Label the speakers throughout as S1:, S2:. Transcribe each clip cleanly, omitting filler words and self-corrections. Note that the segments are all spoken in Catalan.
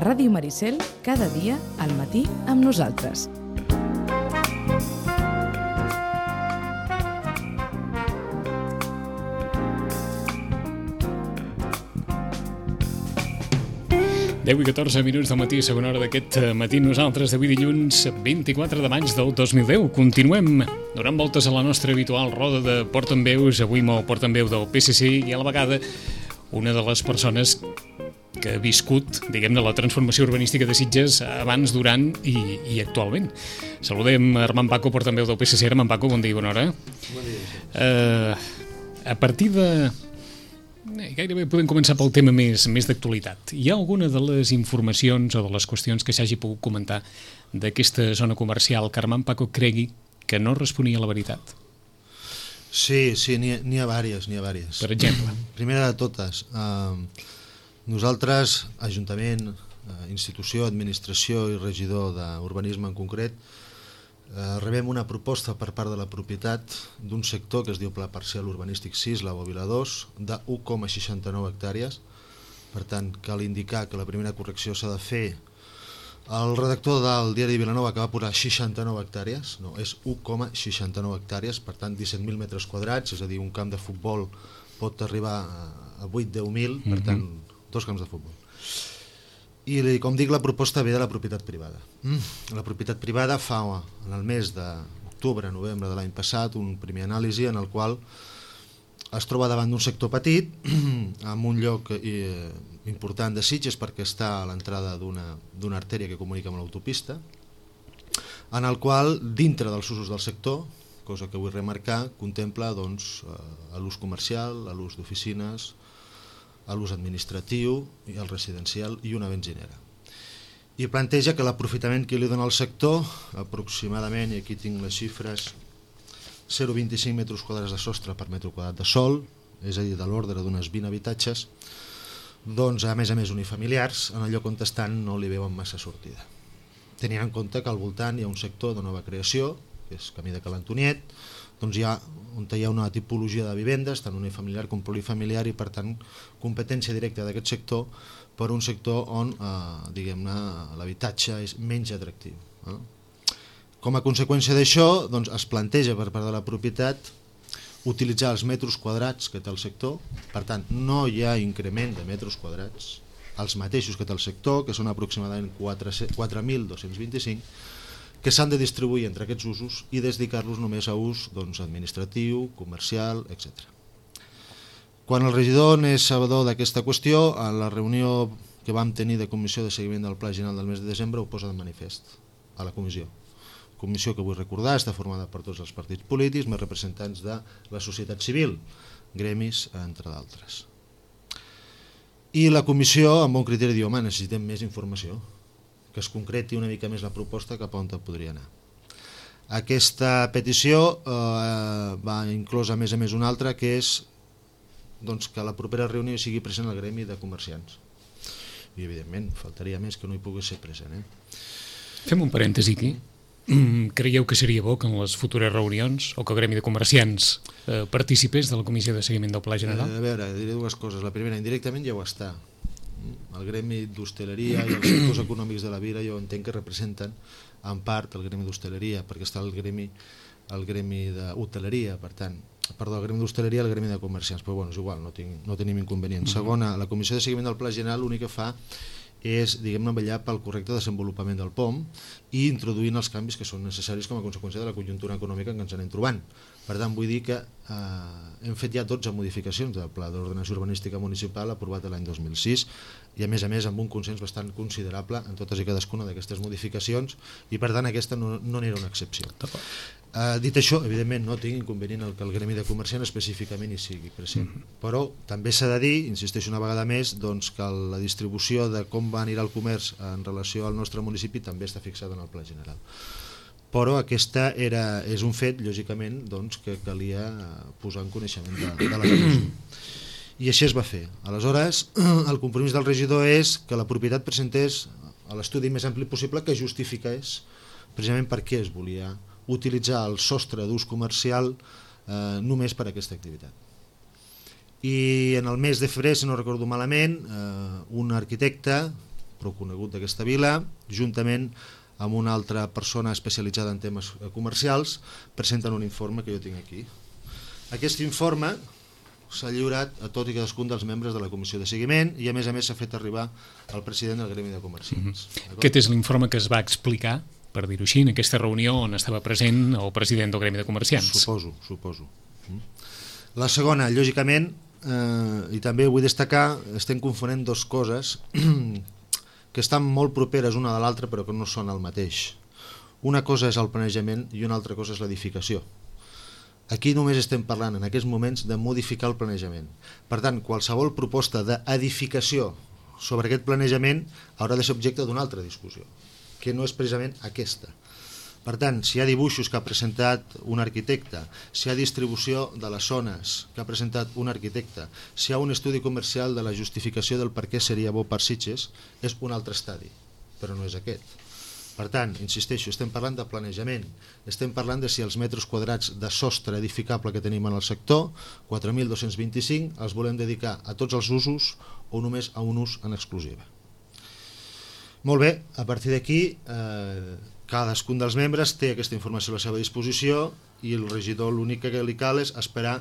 S1: Ràdio Maricel, cada dia, al matí, amb nosaltres.
S2: Deu i 14 minuts del matí, segona hora d'aquest matí. Nosaltres d'avui dilluns 24 de maig del 2010. Continuem donant voltes a la nostra habitual roda de portaveus, avui amb el portaveu del PSC i a la vegada una de les persones que ha viscut, diguem-ne, la transformació urbanística de Sitges abans, durant i actualment. Saludem Armand Paco, portaveu del PSC. Armand Paco, bon dia i bona hora.
S3: Bon dia.
S2: A partir de... Gairebé podem començar pel tema més d'actualitat. Hi ha alguna de les informacions o de les qüestions que s'hagi pogut comentar d'aquesta zona comercial que Armand Paco cregui que no responia a la veritat?
S3: Sí, n'hi ha vàries.
S2: Per exemple?
S3: Primera de totes, nosaltres, Ajuntament, institució, administració i regidor d'urbanisme en concret, rebem una proposta per part de la propietat d'un sector que es diu Pla Parcial Urbanístic 6, la Bòbila 2, de 1,69 hectàrees. Per tant, cal indicar que la primera correcció s'ha de fer. El redactor del diari Vilanova que va posar 69 hectàrees, no, és 1,69 hectàrees, per tant 17.000 metres quadrats, és a dir, un camp de futbol pot arribar a 8-10.000, per tant, dos camps de futbol. I, com dic, la proposta ve de la propietat privada. La propietat privada fa, en el mes d'octubre, novembre de l'any passat, un primer anàlisi en el qual es troba davant d'un sector petit, en un lloc important de Sitges perquè està a l'entrada d'una artèria que comunica amb l'autopista, en el qual, dintre dels usos del sector, cosa que vull remarcar, contempla l'ús comercial, l'ús d'oficines, l'ús administratiu, el residencial i una benzinera. I planteja que l'aprofitament que li dona al sector, aproximadament, i aquí tinc les xifres, 0,25 metres quadrats de sostre per metre quadrat de sòl, és a dir, de l'ordre d'unes 20 habitatges, doncs a més unifamiliars, en el lloc on estan no li veuen massa sortida. Tenint en compte que al voltant hi ha un sector de nova creació, que és Camí de Ca l'Antoniet, doncs hi ha una tipologia de vivendes, tant unifamiliar com polifamiliar, i per tant competència directa d'aquest sector per un sector on diguem-ne l'habitatge és menys atractiu. Com a conseqüència d'això, doncs, es planteja per part de la propietat utilitzar els metres quadrats que té el sector, per tant no hi ha increment de metres quadrats, els mateixos que té el sector, que són aproximadament 4.225, que s'han de distribuir entre aquests usos i dedicar-los només a ús administratiu, comercial, etc. Quan el regidor n'és sabedor d'aquesta qüestió, a la reunió que vam tenir de comissió de seguiment del Pla General del mes de desembre ho posa de manifest a la comissió. Comissió que vull recordar està formada per tots els partits polítics, més representants de la societat civil, gremis, entre d'altres. I la comissió, amb bon criteri, diu: home, necessitem més informació, que es concreti una mica més la proposta cap a on podria anar. Aquesta petició va inclosa a més una altra, que és que a la propera reunió sigui present el gremi de comerciants. I evidentment faltaria més que no hi pogués ser present.
S2: Fem un parèntesi aquí. Creieu que seria bo que en les futures reunions o que el gremi de comerciants participés de la comissió de seguiment del Pla General?
S3: A veure, diré dues coses. La primera, indirectament ja ho està. El gremi d'hostaleria i els sectors econòmics de la vila jo entenc que representen en part el gremi d'hostaleria, perquè està el gremi d'hoteleria, per tant, perdó, el gremi d'hostaleria i el gremi de comerciants, però bueno, és igual, no tenim inconvenient. Segona, la comissió de seguiment del Pla General l'únic que fa és, diguem-ne, vetllar pel correcte desenvolupament del POM i introduint els canvis que són necessaris com a conseqüència de la conjuntura econòmica en què ens anem trobant. Per tant, vull dir que hem fet ja 12 modificacions del Pla d'Ordenació Urbanística Municipal aprovat l'any 2006 i a més amb un consens bastant considerable en totes i cadascuna d'aquestes modificacions, i per tant aquesta no n'era una excepció. Dit això, evidentment no tinc inconvenient que el gremi de comerciants específicament hi sigui present, però també s'ha de dir, insisteixo una vegada més, que la distribució de com va anirà el comerç en relació al nostre municipi també està fixada en el Pla General. Però aquesta és un fet, lògicament, que calia posar en coneixement de la comissió. I així es va fer. Aleshores, el compromís del regidor és que la propietat presentés l'estudi més ampli possible que justifiqués precisament per què es volia utilitzar el sostre d'ús comercial només per a aquesta activitat. I en el mes de febrer, si no recordo malament, un arquitecte prou conegut d'aquesta vila, juntament amb una altra persona especialitzada en temes comercials, presenten un informe que jo tinc aquí. Aquest informe s'ha lliurat a tot i cadascun dels membres de la comissió de seguiment i a més s'ha fet arribar al president del gremi de comerciants.
S2: Aquest és l'informe que es va explicar, per dir-ho així, en aquesta reunió on estava present el president del gremi de comerciants.
S3: Suposo. La segona, lògicament, i també vull destacar, estem confonent dues coses que estan molt properes una de l'altra però que no són el mateix. Una cosa és el planejament i una altra cosa és l'edificació. Aquí només estem parlant en aquests moments de modificar el planejament. Per tant, qualsevol proposta d'edificació sobre aquest planejament haurà de ser objecte d'una altra discussió, que no és precisament aquesta. Per tant, si hi ha dibuixos que ha presentat un arquitecte, si hi ha distribució de les zones que ha presentat un arquitecte, si hi ha un estudi comercial de la justificació del per què seria bo per Sitges, és un altre estadi, però no és aquest. Per tant, insisteixo, estem parlant de planejament, estem parlant de si els metres quadrats de sostre edificable que tenim en el sector, 4.225, els volem dedicar a tots els usos o només a un ús en exclusiva. Molt bé, a partir d'aquí cadascun dels membres té aquesta informació a la seva disposició i el regidor l'únic que li cal és esperar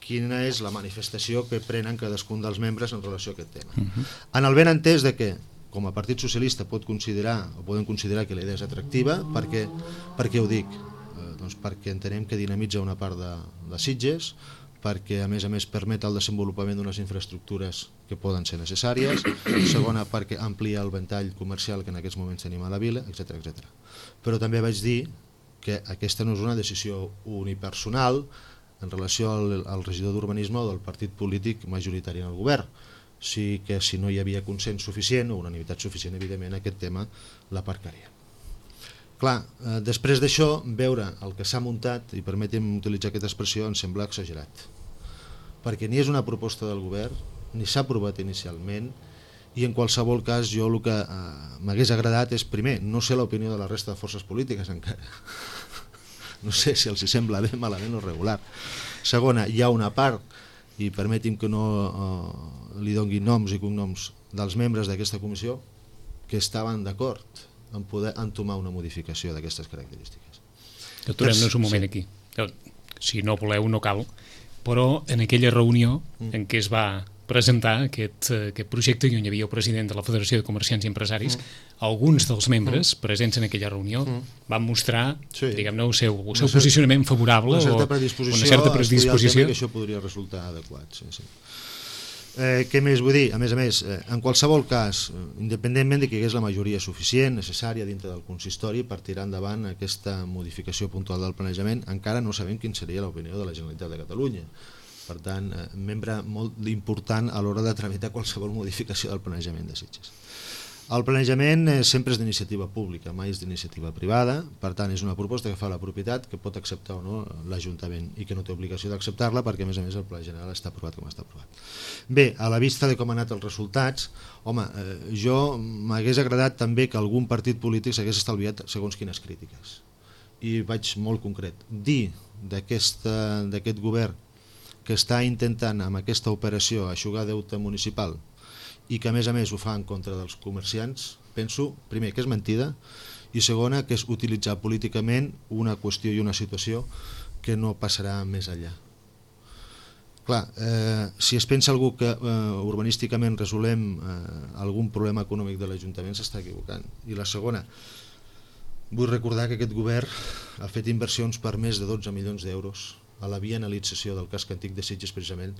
S3: quina és la manifestació que prenen cadascun dels membres en relació a aquest tema. En el ben entès de que, com a Partit Socialista podem considerar que la idea és atractiva, per què ho dic? Doncs perquè entenem que dinamitza una part de Sitges, perquè a més permet el desenvolupament d'unes infraestructures que poden ser necessàries, segona perquè amplia el ventall comercial que en aquests moments tenim a la vila, etc. Però també vaig dir que aquesta no és una decisió unipersonal en relació al regidor d'urbanisme o del partit polític majoritari en el govern. Sí que si no hi havia consens suficient o unanimitat suficient, evidentment aquest tema l'aparcaria. Clar, després d'això, veure el que s'ha muntat, i permeti'm utilitzar aquesta expressió, em sembla exagerat. Perquè ni és una proposta del govern, ni s'ha aprovat inicialment, i en qualsevol cas jo el que m'hagués agradat és, primer, no sé l'opinió de la resta de forces polítiques encara. No sé si els sembla bé, malament o regular. Segona, hi ha una part, i permeti'm que no li doni noms i cognoms dels membres d'aquesta comissió, que estaven d'acord en poder entomar una modificació d'aquestes característiques.
S2: Aturem-nos un moment aquí. Si no voleu, no cal. Però en aquella reunió en què es va presentar aquest projecte i on hi havia el president de la Federació de Comerciants i Empresaris, alguns dels membres presents en aquella reunió van mostrar, diguem-ne, el seu posicionament favorable o una certa predisposició
S3: que això podria resultar adequat. Què més vull dir? A més, en qualsevol cas, independentment de que hi hagués la majoria suficient, necessària dintre del consistori per tirar endavant aquesta modificació puntual del planejament, encara no sabem quina seria l'opinió de la Generalitat de Catalunya. Per tant, membre molt important a l'hora de tramitar qualsevol modificació del planejament de Sitges. El planejament sempre és d'iniciativa pública, mai és d'iniciativa privada, per tant és una proposta que fa la propietat, que pot acceptar o no l'Ajuntament i que no té obligació d'acceptar-la perquè a més el Pla General està aprovat com està aprovat. Bé, a la vista de com han anat els resultats, home, jo m'hagués agradat també que algun partit polític s'hagués estalviat segons quines crítiques. I vaig molt concret. Dir d'aquest govern que està intentant amb aquesta operació eixugar deute municipal i que a més ho fa en contra dels comerciants, penso, primer, que és mentida i segona, que és utilitzar políticament una qüestió i una situació que no passarà més enllà. Clar, si es pensa algú que urbanísticament resolem algun problema econòmic de l'Ajuntament s'està equivocant. I la segona, vull recordar que aquest govern ha fet inversions per més de 12 milions d'euros a la bienalització del casc antic de Sitges precisament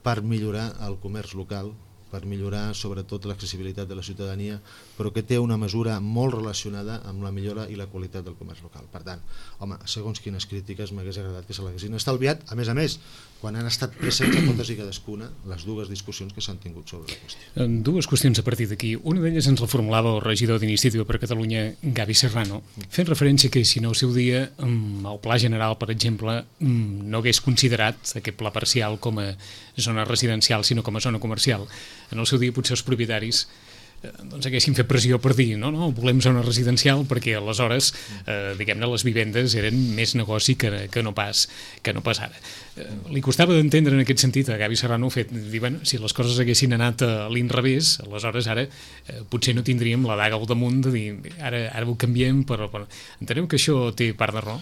S3: per millorar el comerç local, per millorar sobretot l'accessibilitat de la ciutadania, però que té una mesura molt relacionada amb la millora i la qualitat del comerç local. Per tant, home, segons quines crítiques m'hagués agradat que se l'haguessin estalviat, a més, quan han estat presents a totes i cadascuna les dues discussions que s'han tingut sobre la qüestió.
S2: Dues qüestions a partir d'aquí. Una d'elles ens la formulava el regidor d'Iniciativa per Catalunya, Gavi Serrano, fent referència que si no al seu dia el Pla General, per exemple, no hagués considerat aquest pla parcial com a zona residencial, sinó com a zona comercial. En el seu dia potser els propietaris doncs haguessin fet pressió per dir no, volem zona residencial perquè aleshores, diguem-ne, les vivendes eren més negoci que no pas ara. Li costava d'entendre en aquest sentit a Gavi Serrano dir, bueno, si les coses haguessin anat a l'inrevés, aleshores ara potser no tindríem la daga al damunt de dir ara ho canviem, però enteneu que això té part de raó?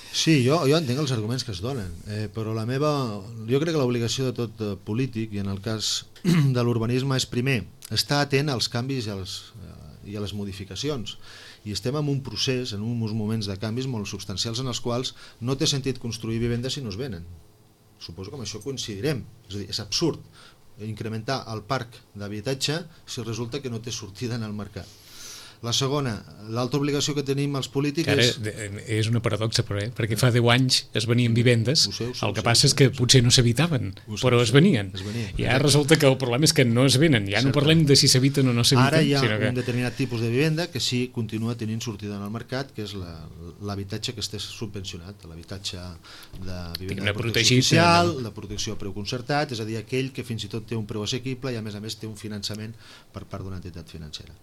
S3: Sí, jo entenc els arguments que es donen, però jo crec que l'obligació de tot polític, i en el cas de l'urbanisme, és primer estar atent als canvis i a les modificacions. I estem en un procés, en uns moments de canvis molt substancials en els quals no té sentit construir vivendes si no es venen. Suposo que amb això coincidirem. És a dir, és absurd incrementar el parc d'habitatge si resulta que no té sortida en el mercat. La segona, l'altra obligació que tenim els polítics
S2: és una paradoxa, perquè fa 10 anys es venien vivendes, el que passa és que potser no s'habitaven, però es venien. I ara resulta que el problema és que no es venen, ja no parlem de si s'habiten o no s'habiten.
S3: Ara hi ha un determinat tipus de vivenda que sí continua tenint sortida en el mercat, que és l'habitatge que esté subvencionat, l'habitatge de vivenda de protecció social, de protecció a preu concertat, és a dir, aquell que fins i tot té un preu assequible i a més té un finançament per part d'una entitat financera.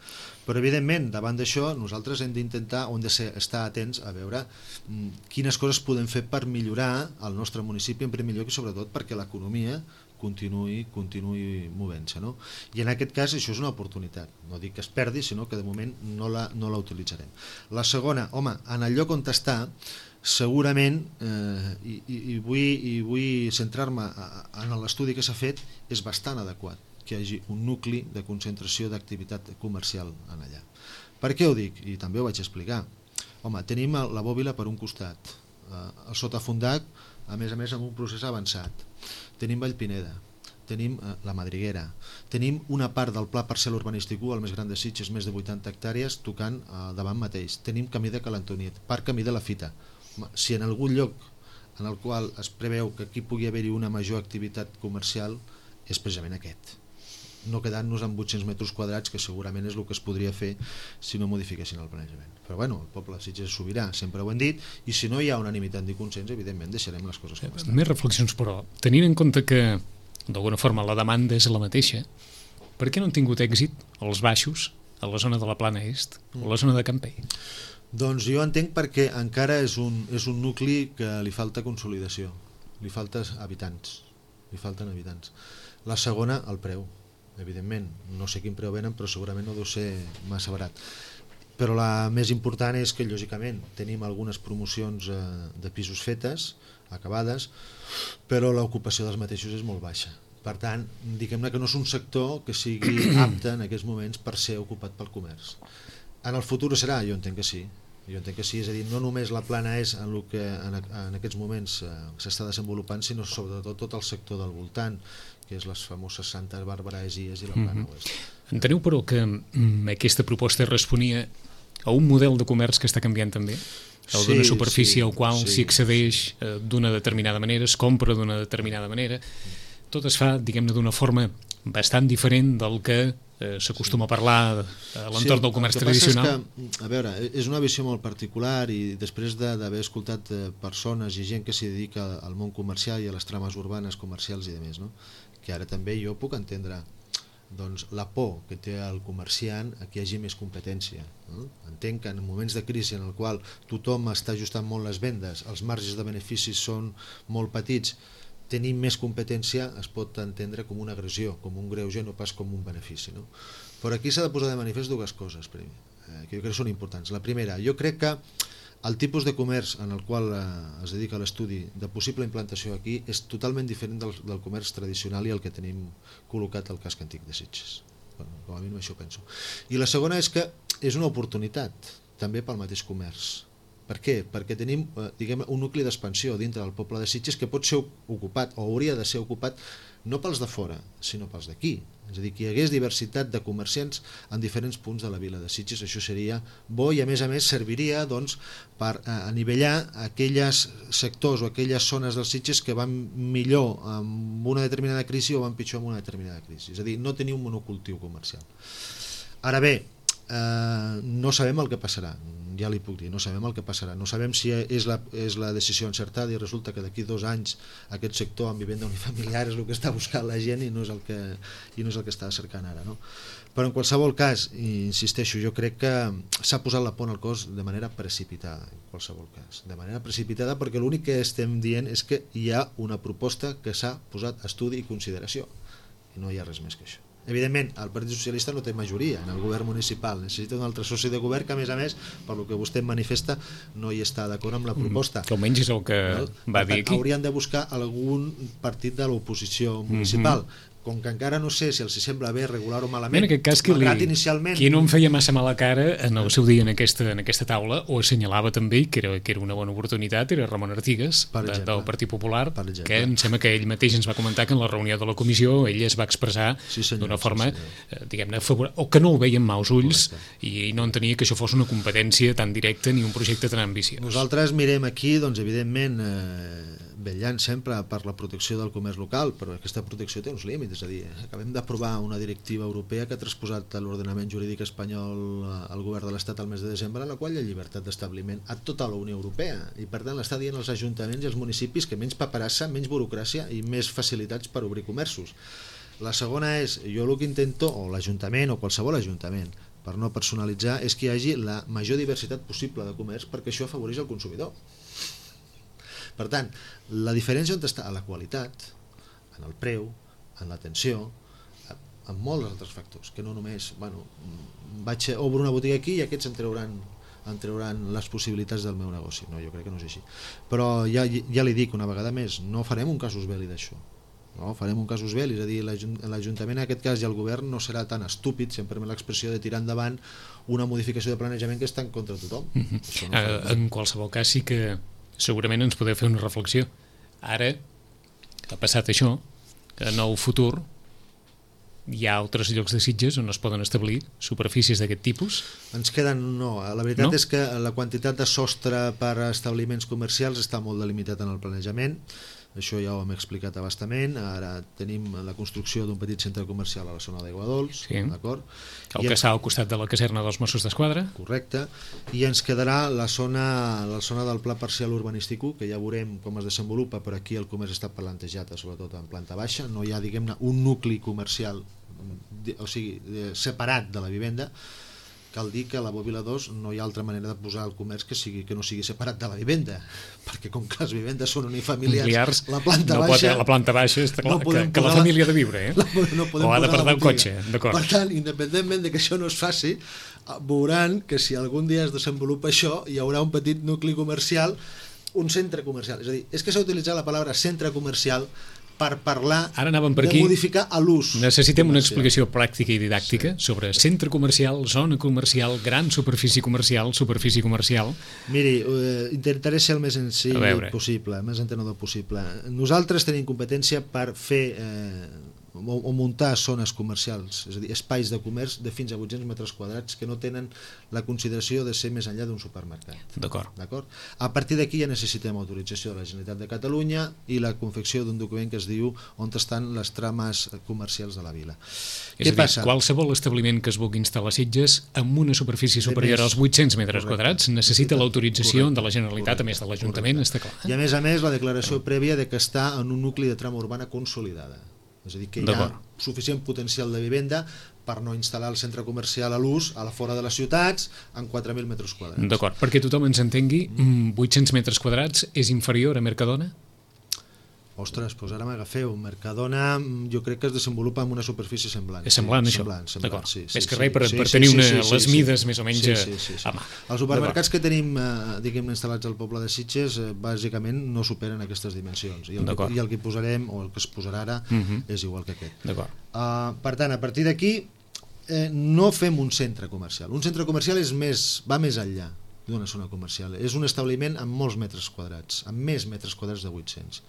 S3: Però evidentment, davant d'això, nosaltres hem d'intentar, hem d'estar atents a veure quines coses podem fer per millorar el nostre municipi, en primer lloc i sobretot perquè l'economia continuï movent-se, no? I en aquest cas això és una oportunitat, no dic que es perdi, sinó que de moment no la utilitzarem. La segona, home, en el lloc on està, segurament, i vull centrar-me en l'estudi que s'ha fet, és bastant adequat que hi hagi un nucli de concentració d'activitat comercial en allà. Per què ho dic? I també ho vaig explicar. Home, tenim la Bòbila per un costat, el Sotafondat, a més amb un procés avançat. Tenim Vallpineda, tenim la Madriguera, tenim una part del Pla Parcial Urbanístic 1, el més gran de Sitges, més de 80 hectàrees, tocant davant mateix. Tenim Camí de Calantoniet, Parc Camí de la Fita. Si en algun lloc en el qual es preveu que aquí pugui haver-hi una major activitat comercial, és precisament aquest. No quedant-nos amb 800 metres quadrats, que segurament és el que es podria fer si no modifiquessin el planejament. Però bueno, el poble de Sitges és sobirà, sempre ho hem dit, i si no hi ha unanimitat ni consens, evidentment deixarem les coses com estan.
S2: Més reflexions, però, tenint en compte que d'alguna forma la demanda és la mateixa, per què no han tingut èxit els baixos a la zona de la Plana Est o la zona de Campell?
S3: Doncs jo entenc perquè encara és un nucli que li falta consolidació, li falten habitants. La segona, el preu. Evidentment, no sé quin preu venen, però segurament no deu ser massa barat. Però la més important és que, lògicament, tenim algunes promocions de pisos fetes, acabades, però l'ocupació dels mateixos és molt baixa. Per tant, diguem-ne que no és un sector que sigui apte en aquests moments per ser ocupat pel comerç. En el futur serà? Jo entenc que sí. És a dir, no només la Plana és en el que en aquests moments s'està desenvolupant, sinó sobretot tot el sector del voltant, que és les famoses Santa Bàrbara, Esies i la Plana Oest.
S2: Enteneu, però, que aquesta proposta responia a un model de comerç que està canviant també? El d'una superfície al qual s'hi accedeix d'una determinada manera, es compra d'una determinada manera. Tot es fa, diguem-ne, d'una forma bastant diferent del que s'acostuma a parlar a l'entorn del comerç tradicional.
S3: A veure, és una visió molt particular i després d'haver escoltat persones i gent que s'hi dedica al món comercial i a les trames urbanes comercials i demés, no? Que ara també jo puc entendre la por que té el comerciant a que hi hagi més competència. Entenc que en moments de crisi en el qual tothom està ajustant molt les vendes, els marges de beneficis són molt petits, tenir més competència es pot entendre com una agressió, com un greuge, no pas com un benefici. Però aquí s'ha de posar de manifest dues coses, que jo crec que són importants. La primera, jo crec que el tipus de comerç en el qual es dedica l'estudi de possible implantació aquí és totalment diferent del comerç tradicional i el que tenim col·locat al casc antic de Sitges. Com a mínim això penso. I la segona és que és una oportunitat també pel mateix comerç. Per què? Perquè tenim un nucli d'expansió dintre del poble de Sitges que pot ser ocupat o hauria de ser ocupat no pels de fora, sinó pels d'aquí. És a dir, que hi hagués diversitat de comerciants en diferents punts de la vila de Sitges. Això seria bo i a més serviria per anivellar aquells sectors o aquelles zones dels Sitges que van millor amb una determinada crisi o van pitjor amb una determinada crisi. És a dir, no tenir un monocultiu comercial. Ara bé, no sabem el que passarà, ja li puc dir, no sabem el que passarà, no sabem si és la decisió encertada i resulta que d'aquí 2 anys aquest sector en vivenda unifamiliar és el que està buscant la gent i no és el que està cercant ara, no? Però en qualsevol cas, insisteixo, jo crec que s'ha posat la pont al cos de manera precipitada, en qualsevol cas, de manera precipitada, perquè l'únic que estem dient és que hi ha una proposta que s'ha posat a estudi i consideració i no hi ha res més que això. Evidentment, el Partit Socialista no té majoria en el govern municipal, necessita un altre soci de govern que, a més, per lo que vostè manifesta, no hi està d'acord amb la proposta.
S2: Que almenys és el que va dir aquí.
S3: Haurien de buscar algun partit de l'oposició municipal. Com que encara no sé si els sembla bé regular o malament,
S2: en aquest cas,
S3: inicialment...
S2: qui no em feia massa mala cara en el seu dia en aquesta taula, ho assenyalava també, que era una bona oportunitat, era Ramon Artigas, del Partit Popular, que em sembla que ell mateix ens va comentar que en la reunió de la comissió ell es va expressar d'una forma, diguem-ne, o que no ho veia amb mals ulls i no entenia que això fos una competència tan directa ni un projecte tan ambiciós.
S3: Nosaltres mirem aquí, doncs, evidentment, vetllant sempre per la protecció del comerç local, però aquesta protecció té uns límits, és a dir, acabem d'aprovar una directiva europea que ha transposat a l'ordenament jurídic espanyol al govern de l'Estat al mes de desembre, en la qual hi ha llibertat d'establiment a tota la Unió Europea, i per tant l'està dient als ajuntaments i als municipis que menys paperassa, menys burocràcia i més facilitats per obrir comerços. La segona és, jo el que intento, o l'Ajuntament o qualsevol ajuntament, per no personalitzar, és que hi hagi la major diversitat possible de comerç, perquè això afavoreix el consumidor. Per tant, la diferència on està? A la qualitat, en el preu, en l'atenció, en molts altres factors, que no només, obro una botiga aquí i aquests em trauran les possibilitats del meu negoci. No, jo crec que no és així. Però ja li dic una vegada més, no farem un casus belli d'això. No, farem un casus belli, és a dir, l'Ajuntament en aquest cas i el govern no serà tan estúpid, si em permet l'expressió, de tirar endavant una modificació de planejament que està en contra de tothom.
S2: En qualsevol cas sí que segurament ens podeu fer una reflexió. Ara, que ha passat això, en el futur hi ha altres llocs de Sitges on es poden establir superfícies d'aquest tipus?
S3: Ens queden, no. La veritat és que la quantitat de sostre per a establiments comercials està molt delimitat en el planejament. Això ja ho hem explicat a bastament. Ara tenim la construcció d'un petit centre comercial a la zona d'Aigua Dols, d'acord?
S2: El que està al costat de la caserna dels Mossos d'Esquadra.
S3: Correcte. I ens quedarà la zona del pla parcial urbanístic 1, que ja veurem com es desenvolupa, però aquí el comerç està plantejat sobretot en planta baixa. No hi ha, diguem-ne, un nucli comercial, o sigui, separat de la vivenda. Cal dir que a la Bòbila 2 no hi ha altra manera de posar el comerç que no sigui separat de la vivenda, perquè com que les vivendes són unifamiliars, la planta baixa
S2: està clar, que la família ha de viure, o ha de portar el cotxe.
S3: Per tant, independentment de que això no es faci, veuran que si algun dia es desenvolupa això, hi haurà un petit nucli comercial, un centre comercial. És a dir, és que s'ha utilitzat la paraula centre comercial per parlar de modificar l'ús.
S2: Necessitem una explicació pràctica i didàctica sobre centre comercial, zona comercial, gran superfície comercial.
S3: Miri, intentaré ser el més senzill possible, el més entenedor possible. Nosaltres tenim competència per fer o muntar zones comercials, és a dir, espais de comerç de fins a 800 metres quadrats que no tenen la consideració de ser més enllà d'un supermercat.
S2: D'acord.
S3: A partir d'aquí ja necessitem autorització de la Generalitat de Catalunya i la confecció d'un document que es diu on estan les trames comercials de la vila.
S2: És a dir, qualsevol establiment que es vulgui instal·lar a Sitges amb una superfície superior als 800 metres quadrats necessita l'autorització de la Generalitat, a més de l'Ajuntament, està clar.
S3: I a més la declaració prèvia de que està en un nucli de trama urbana consolidada. És a dir, que hi ha suficient potencial de vivenda per no instal·lar el centre comercial a l'ús a la fora de les ciutats en 4.000 metres quadrats.
S2: D'acord, perquè tothom ens entengui, 800 metres quadrats és inferior a Mercadona?
S3: Ostres, doncs ara m'agafeu. Mercadona jo crec que es desenvolupa amb una superfície semblant.
S2: És semblant, això?
S3: D'acord.
S2: És que res per tenir les mides més o menys a mà.
S3: Els supermercats que tenim, diguem, instal·lats al poble de Sitges, bàsicament no superen aquestes dimensions. I el que posarem, o el que es posarà ara, és igual que aquest. Per tant, a partir d'aquí, no fem un centre comercial. Un centre comercial va més enllà d'una zona comercial. És un establiment amb molts metres quadrats, amb més metres quadrats de 800.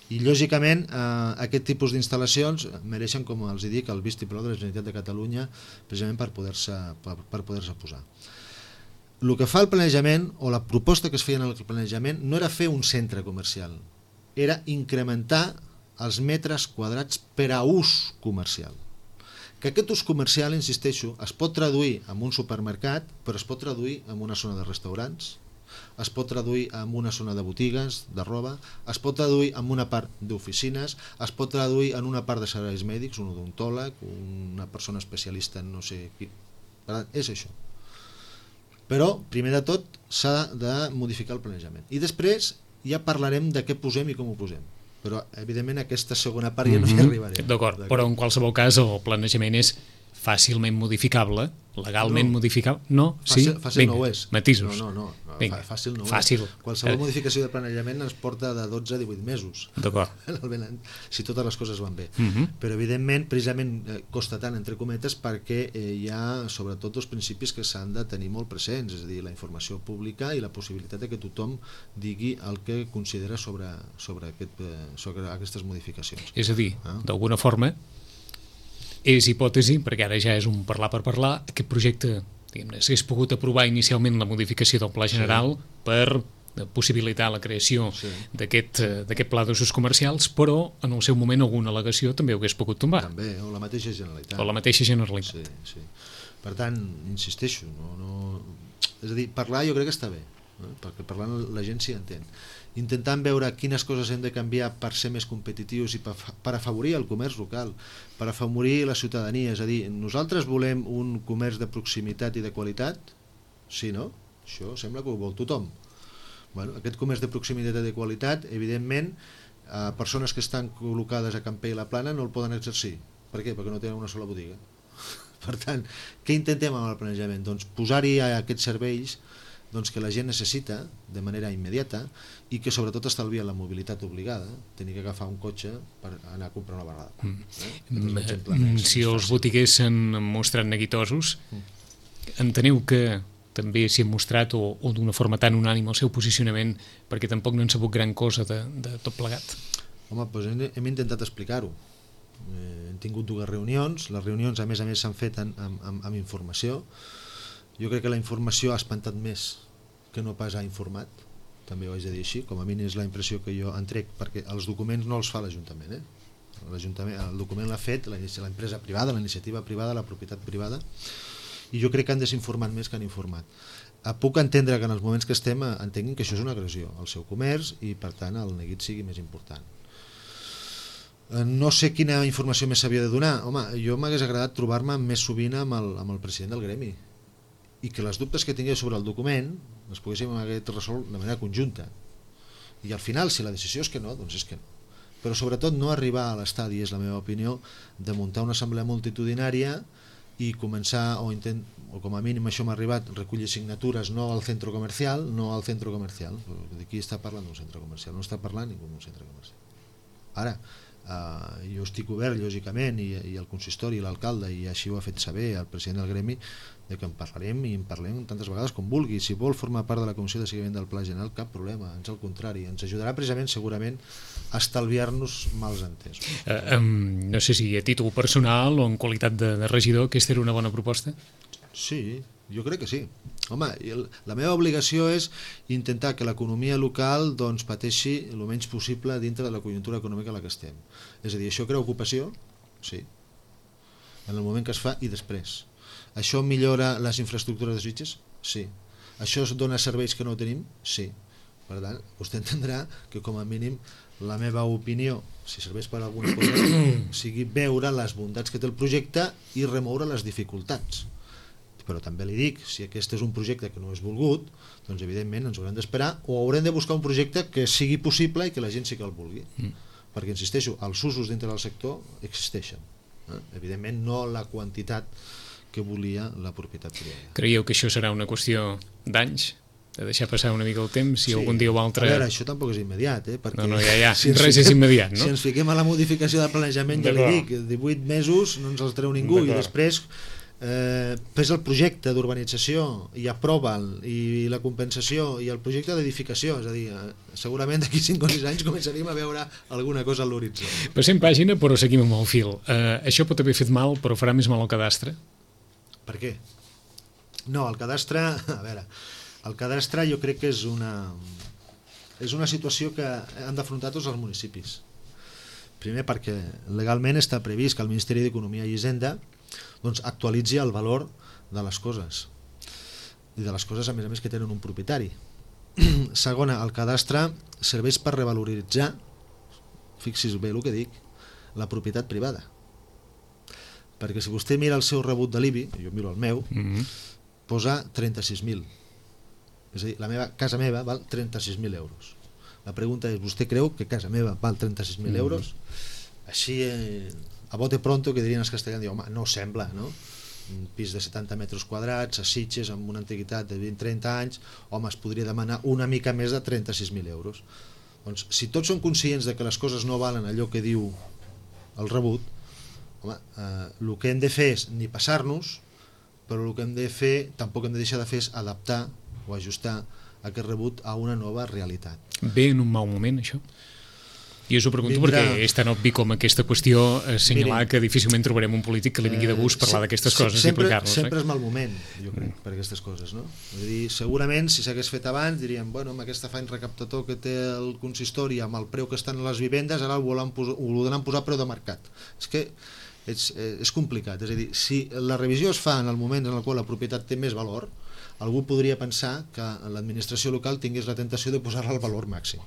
S3: I lògicament aquest tipus d'instal·lacions mereixen, com els dic, el vistiplau de la Generalitat de Catalunya precisament per poder-se posar. El que fa el planejament, o la proposta que es feia en el planejament, no era fer un centre comercial, era incrementar els metres quadrats per a ús comercial. Que aquest ús comercial, insisteixo, es pot traduir en un supermercat, però es pot traduir en una zona de restaurants, es pot traduir en una zona de botigues, de roba, es pot traduir en una part d'oficines, es pot traduir en una part de serveis mèdics, un odontòleg, una persona especialista en no sé qui. Per tant, és això. Però, primer de tot, s'ha de modificar el planejament. I després ja parlarem de què posem i com ho posem. Però, evidentment, aquesta segona part ja no hi arribarem.
S2: D'acord, però en qualsevol cas el planejament és fàcilment modificable, legalment modificable? No?
S3: Fàcil no ho és.
S2: Matisos.
S3: No, fàcil no ho
S2: és.
S3: Qualsevol modificació de planejament ens porta de 12 a 18 mesos.
S2: D'acord.
S3: Si totes les coses van bé. Però, evidentment, precisament costa tant, entre cometes, perquè hi ha, sobretot, dos principis que s'han de tenir molt presents, és a dir, la informació pública i la possibilitat que tothom digui el que considera sobre aquestes modificacions.
S2: És a dir, d'alguna forma, és hipòtesi, perquè ara ja és un parlar per parlar, aquest projecte, diguem-ne, s'hagués pogut aprovar inicialment la modificació del Pla General per possibilitar la creació d'aquest pla d'usos comercials, però en el seu moment alguna al·legació també ho hagués pogut tombar.
S3: També, o la mateixa Generalitat.
S2: O la mateixa Generalitat.
S3: Sí. Per tant, insisteixo, és a dir, parlar jo crec que està bé, perquè parlant la gent s'hi entén. Intentant veure quines coses hem de canviar per ser més competitius i per afavorir el comerç local, per afavorir la ciutadania, és a dir, nosaltres volem un comerç de proximitat i de qualitat? Sí, no? Això sembla que ho vol tothom. Bueno, aquest comerç de proximitat i de qualitat, evidentment, persones que estan col·locades a Campell i la Plana no el poden exercir. Per què? Perquè no tenen una sola botiga. Per tant, què intentem amb el planejament? Doncs posar-hi aquests serveis que la gent necessita de manera immediata i que sobretot estalvia la mobilitat obligada, tenir que agafar un cotxe per anar a comprar una vegada.
S2: Si els botiguers s'han mostrat neguitosos, enteneu que també s'hi ha mostrat o d'una forma tan unànime el seu posicionament perquè tampoc no han sabut gran cosa de tot plegat?
S3: Home, doncs hem intentat explicar-ho. Hem tingut 2 reunions, les reunions a més s'han fet amb informació. Jo crec que la informació ha espantat més que no pas ha informat, també ho haig de dir així, com a mínim és la impressió que jo en trec, perquè els documents no els fa l'Ajuntament, el document l'ha fet l'empresa privada, la iniciativa privada, la propietat privada, i jo crec que han desinformat més que han informat. Puc entendre que en els moments que estem entenguin que això és una agressió al seu comerç i per tant el neguit sigui més important. No sé quina informació més s'havia de donar. Home, jo m'hagués agradat trobar-me més sovint amb el president del gremi i que les dubtes que tingués sobre el document les poguéssim haver resolt de manera conjunta. I al final, si la decisió és que no, doncs és que no. Però sobretot no arribar a l'estadi, és la meva opinió, de muntar una assemblea multitudinària i començar, o com a mínim això m'ha arribat, recollir signatures no al centre comercial. Qui està parlant d'un centre comercial? No està parlant ningú d'un centre comercial. Ara, jo estic obert, lògicament, i el consistori i l'alcalde, i així ho ha fet saber el president del gremi, de que en parlarem i en parlem tantes vegades com vulgui. Si vol formar part de la comissió de seguiment del Pla General, cap problema, ans al contrari, ens ajudarà precisament, segurament, a estalviar-nos mals entesos.
S2: No sé si a títol personal o en qualitat de regidor, aquesta era una bona proposta?
S3: Sí, jo crec que sí. Home, la meva obligació és intentar que l'economia local pateixi el menys possible dintre de la conjuntura econòmica en la que estem. És a dir, això crea ocupació? Sí. En el moment que es fa i després. Això millora les infraestructures de Sitges? Sí. Això dona serveis que no tenim? Sí. Per tant, vostè entendrà que com a mínim la meva opinió, si serveix per alguna cosa, sigui veure les bondats que té el projecte i remoure les dificultats. Però també li dic, si aquest és un projecte que no és volgut, doncs evidentment ens haurem d'esperar o haurem de buscar un projecte que sigui possible i que la gent sí que el vulgui. Perquè, insisteixo, els usos dintre del sector existeixen. Evidentment no la quantitat que volia la propietat privada.
S2: Creieu que això serà una qüestió d'anys? De deixar passar una mica el temps i algun dia o altre...
S3: A veure, això tampoc és immediat, perquè...
S2: No, ja, res és immediat, no?
S3: Si ens fiquem a la modificació del planejament, ja li dic, 18 mesos no ens els treu ningú, i després fes el projecte d'urbanització i aprova'l, i la compensació i el projecte d'edificació, és a dir, segurament d'aquí 5 o 6 anys començaríem a veure alguna cosa a l'horitzó.
S2: Passem pàgina però seguim amb el fil. Això pot haver fet mal però farà més mal al cadastre?
S3: Per què? No, el cadastre, a veure, el cadastre jo crec que és una situació que han d'afrontar tots els municipis. Primer perquè legalment està previst que el Ministeri d'Economia i Hisenda doncs actualitzi el valor de les coses, i de les coses a més que tenen un propietari. Segona, el cadastre serveix per revaloritzar, fixi's bé el que dic, la propietat privada. Perquè si vostè mira el seu rebut de l'IBI, jo miro el meu, posa 36.000. És a dir, casa meva val 36.000 euros. La pregunta és, vostè creu que casa meva val 36.000 euros? Així, a bote pronto, que dirien els castellans, diu, home, no sembla, no? Un pis de 70 metres quadrats, a Sitges, amb una antiguitat de 20-30 anys, home, es podria demanar una mica més de 36.000 euros. Doncs, si tots som conscients de que les coses no valen allò que diu el rebut, home, el que hem de fer és ni passar-nos, però el que hem de fer, tampoc hem de deixar de fer, és adaptar o ajustar aquest rebut a una nova realitat.
S2: Ve en un mal moment, això? I us ho pregunto perquè és tan obvi com aquesta qüestió assenyalar que difícilment trobarem un polític que li vingui de gust parlar d'aquestes coses i aplicar-les.
S3: Sempre és mal moment, jo crec, per aquestes coses, no? És a dir, segurament, si s'hagués fet abans, diríem, bueno, amb aquest afany recaptator que té el consistori, amb el preu que estan a les vivendes, ara ho volen posar preu de mercat. És que és complicat, és a dir, si la revisió es fa en el moment en el qual la propietat té més valor, algú podria pensar que l'administració local tingués la tentació de posar-la al valor màxim.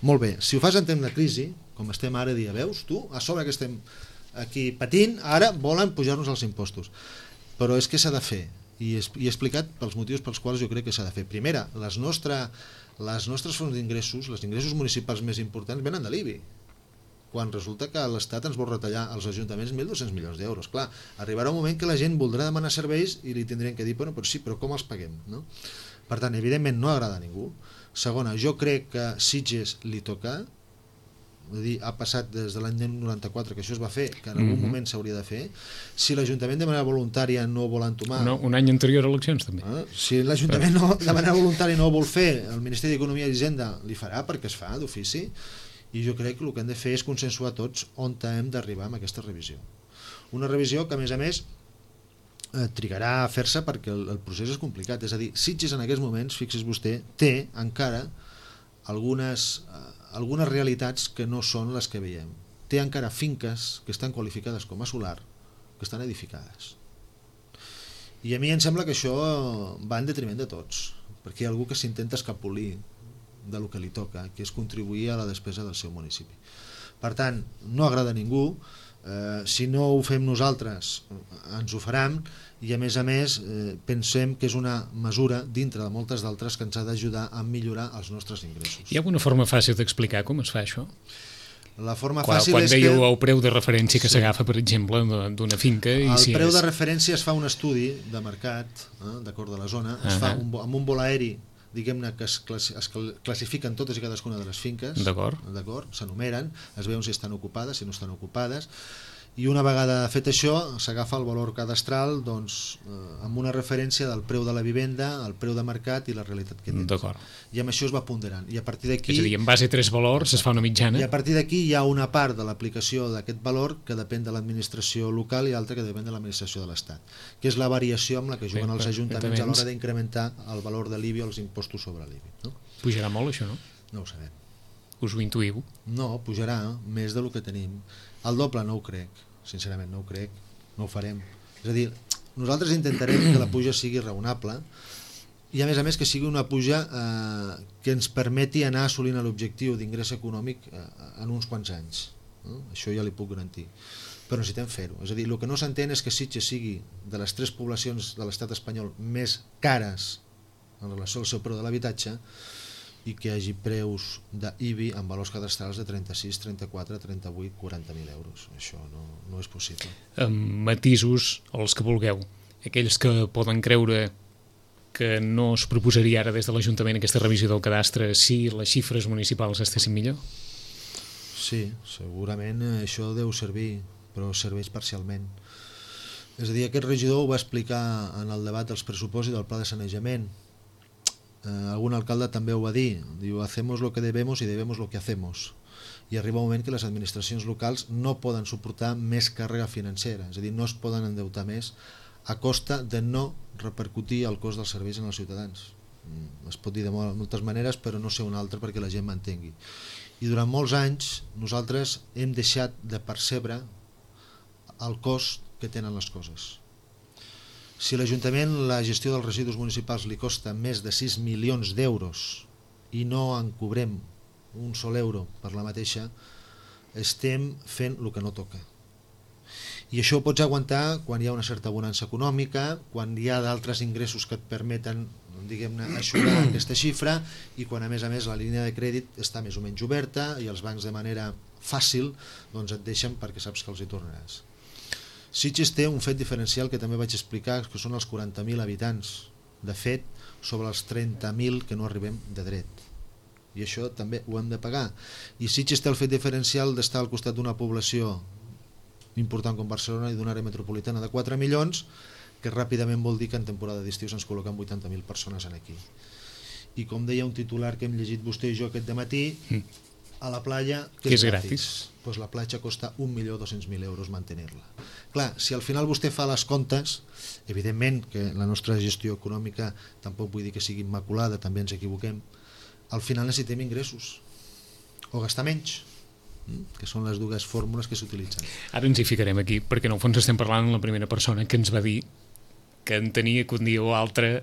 S3: Molt bé, si ho fas en temps de crisi, com estem ara, dia, veus tu, a sobre que estem aquí patint, ara volen pujar-nos els impostos. Però és que s'ha de fer, i he explicat pels motius pels quals jo crec que s'ha de fer. Primera, les nostres fonts d'ingressos, els ingressos municipals més importants, venen de l'IBI, quan resulta que l'Estat ens vol retallar als ajuntaments 1.200 milions d'euros. Clar, arribarà un moment que la gent voldrà demanar serveis i li tindrien que dir, bueno, però sí, però com els paguem? No? Per tant, evidentment no agrada a ningú. Segona, jo crec que Sitges li toca, és dir, ha passat des de l'any 94 que això es va fer, que en algun moment s'hauria de fer. Si l'Ajuntament de manera voluntària no vol entomar...
S2: No, un any anterior a eleccions, també.
S3: Si l'Ajuntament de manera voluntària no ho vol fer, el Ministeri d'Economia i Hisenda li farà, perquè es fa d'ofici, i jo crec que el que hem de fer és consensuar tots on hem d'arribar amb aquesta revisió. Una revisió que, a més, trigarà a fer-se perquè el procés és complicat. És a dir, Sitges en aquests moments, fixi's vostè, té encara algunes realitats que no són les que veiem. Té encara finques que estan qualificades com a solar, que estan edificades. I a mi em sembla que això va en detriment de tots, perquè hi ha algú que s'intenta escapolir de lo que li toca, que és contribuir a la despesa del seu municipi. Per tant, no agrada a ningú, si no ho fem nosaltres ens ho faran, i a més pensem que és una mesura dintre de moltes d'altres que ens ha d'ajudar a millorar els nostres ingressos.
S2: Hi ha alguna forma fàcil d'explicar com es fa això?
S3: La forma fàcil
S2: quan
S3: és que...
S2: Quan dèieu el preu de referència que s'agafa, per exemple, d'una finca...
S3: El preu de referència es fa un estudi de mercat, d'acord de la zona, es fa amb un vol aeri, diguem-ne, que es classifiquen totes i cadascuna de les finques, s'enumeren, es veuen si estan ocupades, si no estan ocupades, i una vegada fet això s'agafa el valor cadastral amb una referència del preu de la vivenda, el preu de mercat i la realitat que tens. I amb això es va ponderant. I a partir d'aquí...
S2: És a dir, en base a 3 valors es fa una mitjana.
S3: I a partir d'aquí hi ha una part de l'aplicació d'aquest valor que depèn de l'administració local i altra que depèn de l'administració de l'Estat, que és la variació amb la que juguen els ajuntaments a l'hora d'incrementar el valor de l'IBI o els impostos sobre l'IBI.
S2: Pujarà molt això, no?
S3: No ho sabem.
S2: Us ho intuïu?
S3: No, pujarà més del que tenim. El doble no ho crec, sincerament no ho crec, no ho farem. És a dir, nosaltres intentarem que la puja sigui raonable i a més que sigui una puja que ens permeti anar assolint l'objectiu d'ingrés econòmic en uns quants anys. Això ja li puc garantir. Però necessitem fer-ho. És a dir, el que no s'entén és que Sitges sigui de les 3 poblacions de l'estat espanyol més cares en relació al seu preu de l'habitatge i que hi hagi preus d'IBI amb valors cadastrals de 36, 34, 38, 40.000 euros. Això no és possible.
S2: Matisos, els que vulgueu. Aquells que poden creure que no es proposaria ara des de l'Ajuntament aquesta revisió del cadastre si les xifres municipals estessin millor?
S3: Sí, segurament això deu servir, però serveix parcialment. És a dir, aquest regidor ho va explicar en el debat dels pressupostos i del pla de sanejament. Algun alcalde també ho va dir, diu, hacemos lo que debemos y debemos lo que hacemos, i arriba un moment que les administracions locals no poden suportar més càrrega financera, és a dir, no es poden endeutar més a costa de no repercutir el cost dels serveis en els ciutadans. Es pot dir de moltes maneres, però no sé una altra perquè la gent m'entengui. I durant molts anys nosaltres hem deixat de percebre el cost que tenen les coses. Si a l'Ajuntament la gestió dels residus municipals li costa més de 6 milions d'euros i no en cobrem un sol euro per la mateixa, estem fent el que no toca. I això ho pots aguantar quan hi ha una certa bonança econòmica, quan hi ha d'altres ingressos que et permeten, diguem-ne, eixugar aquesta xifra, i quan a més la línia de crèdit està més o menys oberta i els bancs de manera fàcil doncs et deixen perquè saps que els hi tornaràs. Sitges té un fet diferencial que també vaig explicar, que són els 40.000 habitants, de fet, sobre els 30.000 que no arribem de dret. I això també ho hem de pagar. I Sitges té el fet diferencial d'estar al costat d'una població important com Barcelona i d'una àrea metropolitana de 4 milions, que ràpidament vol dir que en temporada d'estiu ens col·loquen 80.000 persones aquí. I com deia un titular que hem llegit vostè i jo aquest dematí, a la platja,
S2: que és gratis.
S3: Pues la platja costa 1.200.000 euros mantenir-la. Clar, si al final vostè fa les comptes, evidentment que la nostra gestió econòmica tampoc vull dir que sigui immaculada, també ens equivoquem, al final necessitem ingressos o gastar menys, que són les dues fórmules que s'utilitzen.
S2: Ara ens hi ficarem aquí, perquè en el fons estem parlant amb la primera persona que ens va dir que entenia que un dia o altre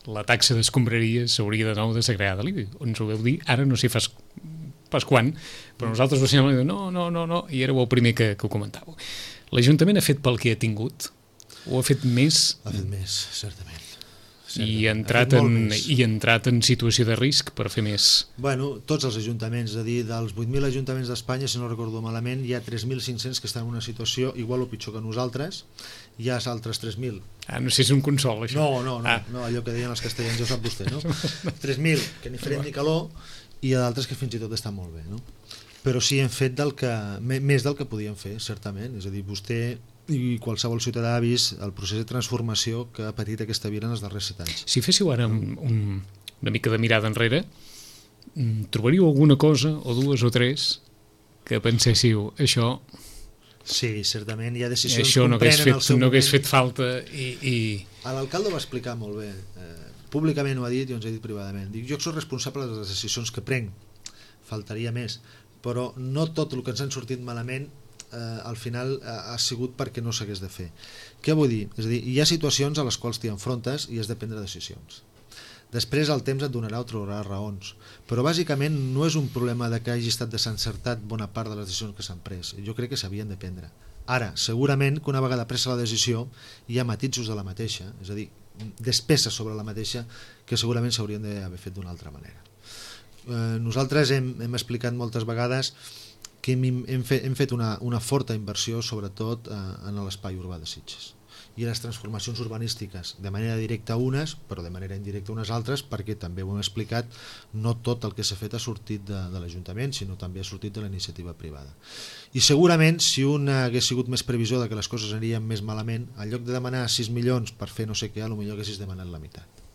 S2: la taxa d'escombraria s'hauria de nou de segregar de l'IBI. Ens ho veu dir, ara no sé pas quan, però nosaltres ho sembla no, i éreu el primer que ho comentàveu. L'Ajuntament ha fet pel que ha tingut? O ha fet més?
S3: Ha fet més, certament.
S2: I ha entrat en situació de risc per fer més?
S3: Bueno, tots els ajuntaments, és a dir, dels 8.000 ajuntaments d'Espanya, si no recordo malament, hi ha 3.500 que estan en una situació igual o pitjor que nosaltres, hi ha altres 3.000.
S2: No sé si és un consol, això.
S3: No, allò que deien els castellans, ja ho sap vostè, no? 3.000 que ni fred ni calor, i hi ha d'altres que fins i tot estan molt bé, no? Però sí hem fet més del que podíem fer, certament, és a dir, vostè i qualsevol ciutadà ha vist el procés de transformació que ha patit aquesta vila en els darrers 7 anys.
S2: Si féssiu ara una mica de mirada enrere, trobaríeu alguna cosa, o dues o tres, que penséssiu, això...
S3: Sí, certament, hi ha decisions
S2: això
S3: que comprenen el seu moment.
S2: No hagués fet falta i...
S3: L'alcalde ho va explicar molt bé, públicament ho ha dit i ens ha dit privadament. Dic, jo soc responsable de les decisions que prenc, faltaria més, però no tot el que ens han sortit malament al final ha sigut perquè no s'hagués de fer. Què vull dir? És a dir, hi ha situacions a les quals t'hi enfrontes i has de prendre decisions. Després el temps et donarà o trobarà raons, però bàsicament no és un problema de que hagi estat desencertat bona part de les decisions que s'han pres. Jo crec que s'havien de prendre. Ara, segurament que una vegada presa la decisió hi ha matisos de la mateixa, és a dir, despeses sobre la mateixa que segurament s'haurien d'haver fet d'una altra manera. Nosaltres hem explicat moltes vegades que hem fet una forta inversió sobretot en l'espai urbà de Sitges i les transformacions urbanístiques de manera directa unes, però de manera indirecta unes altres, perquè també ho hem explicat, no tot el que s'ha fet ha sortit de l'Ajuntament, sinó també ha sortit de la iniciativa privada. I segurament si un hagués sigut més previsor de que les coses anirien més malament, en lloc de demanar 6 milions per fer no sé què, potser haguessis demanat la meitat.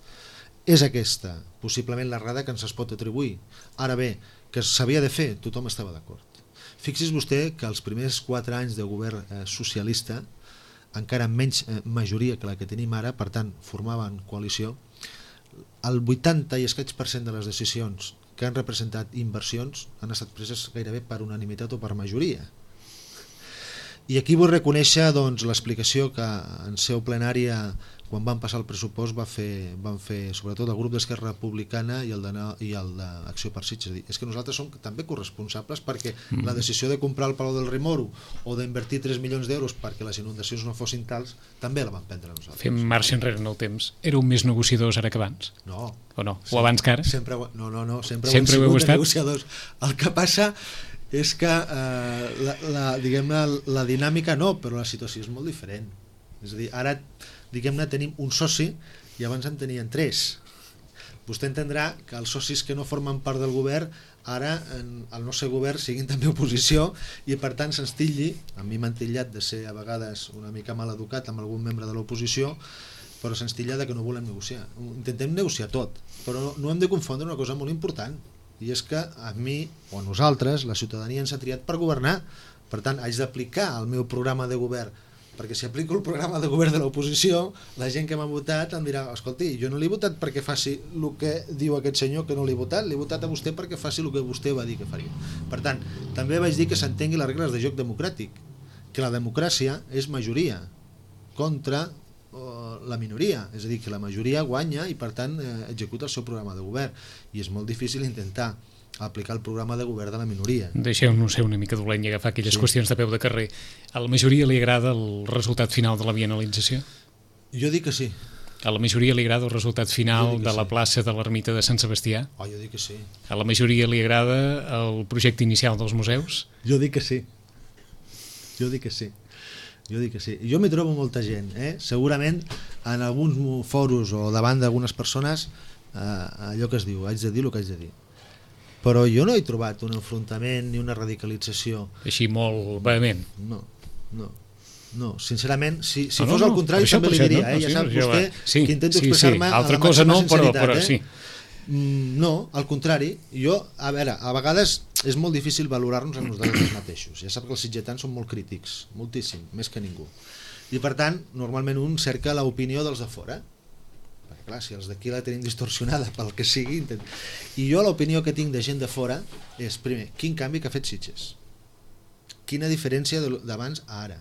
S3: És aquesta possiblement l'errada que ens es pot atribuir. Ara bé, que s'havia de fer, tothom estava d'acord. Fixi's vostè que els primers 4 anys de govern socialista, encara amb menys majoria que la que tenim ara, per tant formaven coalició, el 80 i escaig % de les decisions que han representat inversions han estat preses gairebé per unanimitat o per majoria. I aquí vull reconèixer l'explicació que en seu plenària, quan van passar el pressupost, van fer sobretot el grup d'Esquerra Republicana i el d'Acció per Sitges. És que nosaltres som també corresponsables perquè la decisió de comprar el Palau del Remoro o d'invertir 3 milions d'euros perquè les inundacions no fossin tals, també la van prendre nosaltres.
S2: Fem marxa enrere en el temps. Éreu més negociadors ara que abans?
S3: No.
S2: O no? O abans que ara?
S3: Sempre ho hem sigut negociadors. El que passa és que la dinàmica no, però la situació és molt diferent. És a dir, ara tenim un soci i abans en tenien 3. Vostè entendrà que els socis que no formen part del govern ara el nostre govern siguin també oposició i per tant se'ns titlli, a mi m'han titllat de ser a vegades una mica mal educat amb algun membre de l'oposició, però se'ns titlla de que no volem negociar. Intentem negociar tot, però no hem de confondre una cosa molt important, i és que a mi o a nosaltres la ciutadania ens ha triat per governar, per tant haig d'aplicar el meu programa de govern, perquè si aplico el programa de govern de l'oposició, la gent que m'ha votat em dirà, escolti, jo no l'he votat perquè faci el que diu aquest senyor que no l'he votat a vostè perquè faci el que vostè va dir que faria. Per tant, també vaig dir que s'entengui les regles de joc democràtic, que la democràcia és majoria, contra la minoria, és a dir, que la majoria guanya i per tant executa el seu programa de govern, i és molt difícil intentar aplicar el programa de govern de la minoria.
S2: Deixeu-nos ser una mica dolent i agafar aquelles qüestions de peu de carrer. A la majoria li agrada el resultat final de la bienalització?
S3: Jo dic que sí.
S2: A la majoria li agrada el resultat final de la plaça de l'ermita de Sant Sebastià?
S3: Jo dic que sí.
S2: A la majoria li agrada el projecte inicial dels museus?
S3: Jo dic que sí. Jo dic que sí. Jo m'hi trobo molta gent, segurament en alguns foros o davant d'algunes persones allò que es diu, haig de dir el que haig de dir, però jo no he trobat un enfrontament ni una radicalització
S2: així molt vehement.
S3: No, sincerament, si fos al contrari també li diria, ja sap vostè que intento expressar-me
S2: amb la màxima sinceritat.
S3: No, al contrari, a vegades és molt difícil valorar-nos a nosaltres mateixos. Ja sap que els sitgetans són molt crítics, moltíssim, més que ningú. I per tant, normalment un cerca l'opinió dels de fora. Perquè clar, si els d'aquí la tenim distorsionada pel que sigui... I jo l'opinió que tinc de gent de fora és, primer, quin canvi que ha fet Sitges? Quina diferència d'abans a ara?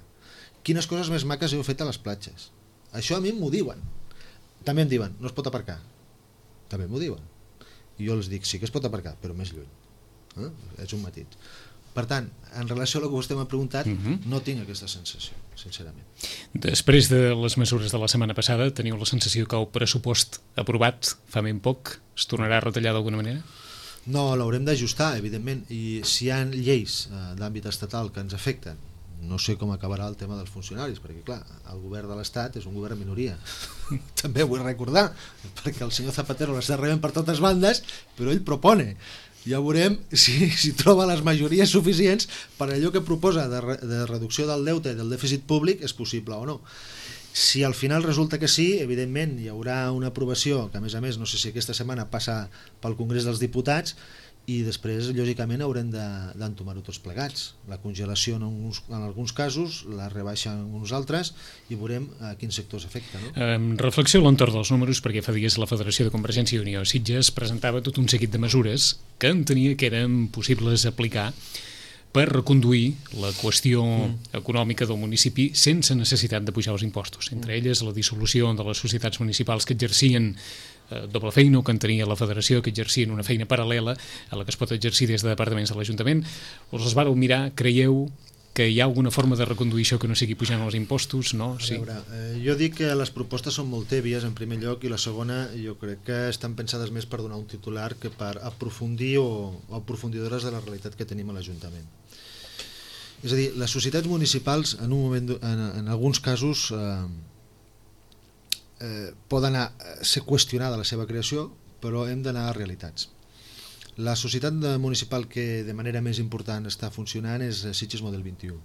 S3: Quines coses més maques heu fet a les platges? Això a mi m'ho diuen. També em diuen, no es pot aparcar. També m'ho diuen. I jo els dic, sí que es pot aparcar, però més lluny. És un matit. Per tant, en relació a el que vostè m'ha preguntat, no tinc aquesta sensació, sincerament.
S2: Després de les mesures de la setmana passada, teniu la sensació que el pressupost aprovat fa ben poc es tornarà a retallar d'alguna manera?
S3: No, l'haurem d'ajustar, evidentment, i si hi ha lleis d'àmbit estatal que ens afecten, no sé com acabarà el tema dels funcionaris, perquè clar, el govern de l'Estat és un govern de minoria. També vull recordar, perquè el senyor Zapatero l'està rebent per totes bandes, però ell propone. Ja veurem si troba les majories suficients per allò que proposa de reducció del deute i del dèficit públic és possible o no. Si al final resulta que sí, evidentment hi haurà una aprovació que a més no sé si aquesta setmana passa pel Congrés dels Diputats, i després lògicament haurem d'entomar-ho tots plegats, la congelació en alguns casos, la rebaixa en uns altres, i veurem a quins sectors afecta, no?
S2: Reflexió a l'entorn dels números, perquè fa dies la Federació de Convergència i Unió Sitges presentava tot un seguit de mesures que entenia que eren possibles aplicar per reconduir la qüestió econòmica del municipi sense necessitat de pujar els impostos, entre elles la dissolució de les societats municipals que exercien doble feina o que en tenia la federació, que exercien una feina paral·lela a la que es pot exercir des de departaments de l'Ajuntament. Us les vareu mirar, creieu que hi ha alguna forma de reconduir això que no sigui pujant els impostos? No? Sí.
S3: A veure, jo dic que les propostes són molt tèbies en primer lloc, i la segona jo crec que estan pensades més per donar un titular que per aprofundir o aprofundidores de la realitat que tenim a l'Ajuntament. És a dir, les societats municipals en un moment, en alguns casos poden ser qüestionada la seva creació, però hem d'anar a realitats. La societat municipal que de manera més important està funcionant és Sitges Model 21.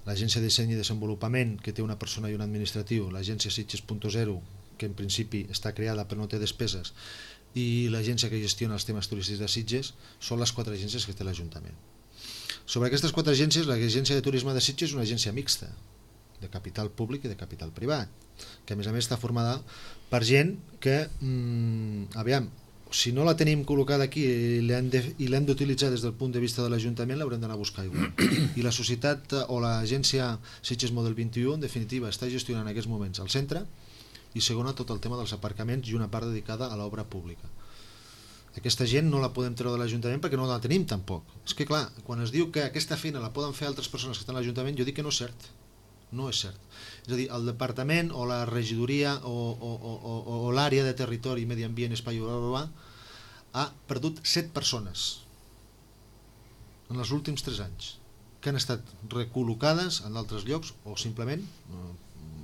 S3: L'agència de disseny i desenvolupament, que té una persona i un administratiu, l'agència Sitges.0, que en principi està creada però no té despeses, i l'agència que gestiona els temes turístics de Sitges, són les 4 agències que té l'Ajuntament. Sobre aquestes 4 agències, l'agència de turisme de Sitges és una agència mixta, de capital públic i de capital privat, que a més està formada per gent que, si no la tenim col·locada aquí i l'hem d'utilitzar des del punt de vista de l'Ajuntament, l'haurem d'anar a buscar igual. I la societat o l'agència Sitges Model 21 en definitiva està gestionant en aquests moments el centre, i segona tot el tema dels aparcaments i una part dedicada a l'obra pública. Aquesta gent no la podem treure de l'Ajuntament perquè no la tenim tampoc. És que clar, quan es diu que aquesta feina la poden fer altres persones que estan a l'Ajuntament, jo dic que no és cert. No és cert. És a dir, el departament o la regidoria o l'àrea de territori, medi ambient, espai urbà ha perdut 7 persones en els últims 3 anys que han estat recol·locades en d'altres llocs o simplement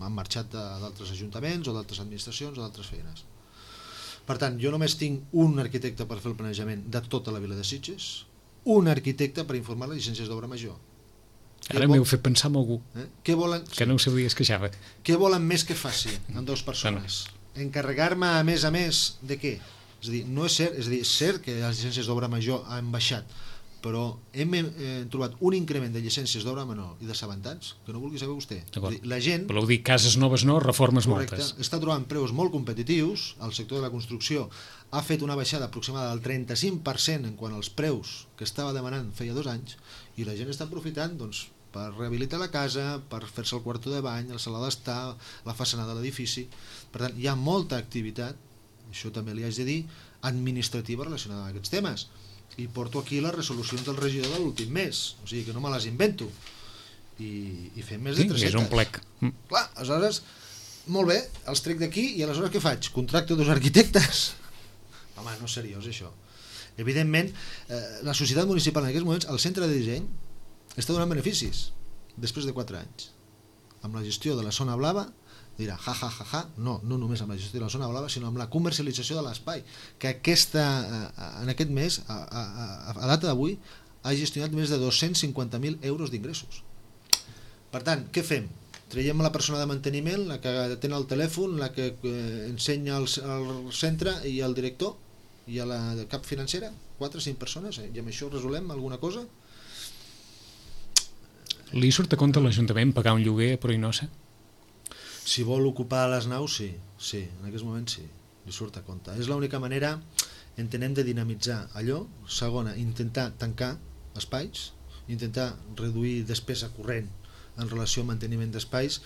S3: han marxat d'altres ajuntaments o d'altres administracions o d'altres feines. Per tant, jo només tinc un arquitecte per fer el planejament de tota la vila de Sitges, un arquitecte per informar les llicències d'obra major.
S2: Ara m'heu fet pensar en algú
S3: que no
S2: ho sabia, es queixava.
S3: Què volen més que faci amb 2 persones? Encarregar-me a més de què? És a dir, no és cert, és cert que les llicències d'obra major han baixat, però hem trobat un increment de llicències d'obra menor i d'assabentats que no vulgui saber vostè. La gent,
S2: voleu dir cases noves no, reformes moltes.
S3: Està trobant preus molt competitius, el sector de la construcció ha fet una baixada aproximada del 35% en quant als preus que estava demanant feia 2 anys, i la gent està aprofitant per rehabilitar la casa, per fer-se el quarto de bany, la sala d'estar, la façana de l'edifici. Per tant, hi ha molta activitat, això també li haig de dir, administrativa relacionada amb aquests temes. I porto aquí les resolucions del regidor de l'últim mes, o sigui que no me les invento. I fem més de 300.
S2: És un plec.
S3: Clar, aleshores, molt bé, els trec d'aquí i aleshores què faig? Contracto dos arquitectes? Home, no és seriós això. Evidentment, la societat municipal en aquests moments, el centre de disseny, està donant beneficis després de 4 anys. Amb la gestió de la zona blava, dirà, no només amb la gestió de la zona blava, sinó amb la comercialització de l'espai, que en aquest mes, a data d'avui, ha gestionat més de 250.000 euros d'ingressos. Per tant, què fem? Traiem la persona de manteniment, la que atén el telèfon, la que ensenya el centre i el director i a la cap financera, 4 o 5 persones, i amb això resolem alguna cosa?
S2: Li surt a compte a l'Ajuntament pagar un lloguer a Proinosa?
S3: Si vol ocupar les naus, sí, en aquests moments sí, li surt a compte. És l'única manera, entenem, de dinamitzar allò. Segona, intentar tancar espais, intentar reduir despesa corrent en relació al manteniment d'espais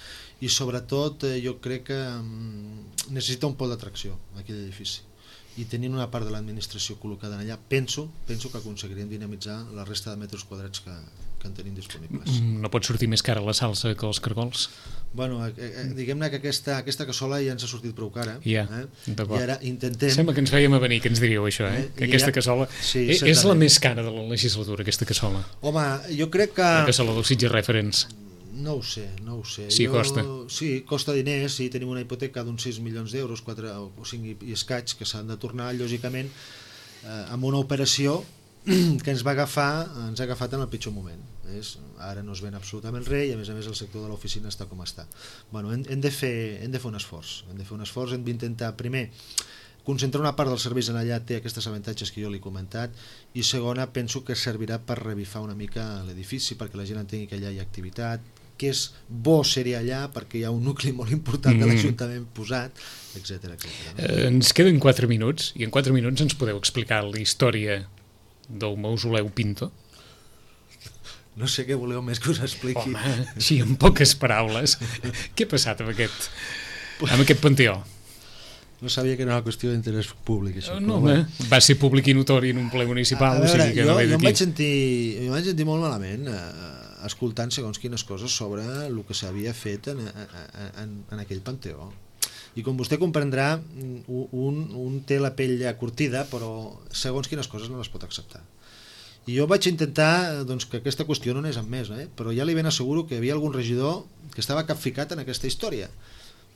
S3: i sobretot jo crec que necessita un pol d'atracció aquell edifici, i tenint una part de l'administració col·locada allà, penso que aconseguiríem dinamitzar la resta de metres quadrats que en tenim disponibles.
S2: No pot sortir més cara la salsa que els cargols?
S3: Bueno, diguem-ne que aquesta cassola ja ens ha sortit prou cara.
S2: Ja,
S3: I ara intentem...
S2: Sembla que ens vèiem a venir, que ens diríeu això, que aquesta cassola... És la més cara de la legislatura, aquesta cassola.
S3: Home, jo crec que...
S2: La cassola del Sitges Reference.
S3: No ho sé.
S2: Sí, costa.
S3: Sí, costa diners, sí, tenim una hipoteca d'uns 6 milions d'euros, 4 o 5 i escaig, que s'han de tornar, lògicament, amb una operació que ens ha agafat en el pitjor moment. Ara no es ven absolutament res i a més el sector de l'oficina està com està. Bueno, hem de fer un esforç, hem d'intentar primer concentrar una part dels serveis en allà, té aquests avantatges que jo li he comentat, i segona, penso que servirà per revifar una mica l'edifici perquè la gent entengui que allà hi ha activitat, que és bo ser-hi allà perquè hi ha un nucli molt important de l'Ajuntament posat, etc.
S2: Ens queden 4 minuts i en 4 minuts ens podeu explicar la història del mausoleu Pinto?
S3: No sé què voleu més que us expliqui.
S2: Home, sí, en poques paraules. Què ha passat amb aquest panteó?
S3: No sabia que era una qüestió d'interès públic, això.
S2: No, va ser públic i notori en un ple municipal.
S3: Jo em vaig sentir molt malament escoltant segons quines coses sobre el que s'havia fet en aquell panteó. I com vostè comprendrà, un té la pell ja curtida, però segons quines coses no les pot acceptar. I jo vaig intentar que aquesta qüestió no anés amb més, però ja li ben asseguro que hi havia algun regidor que estava capficat en aquesta història.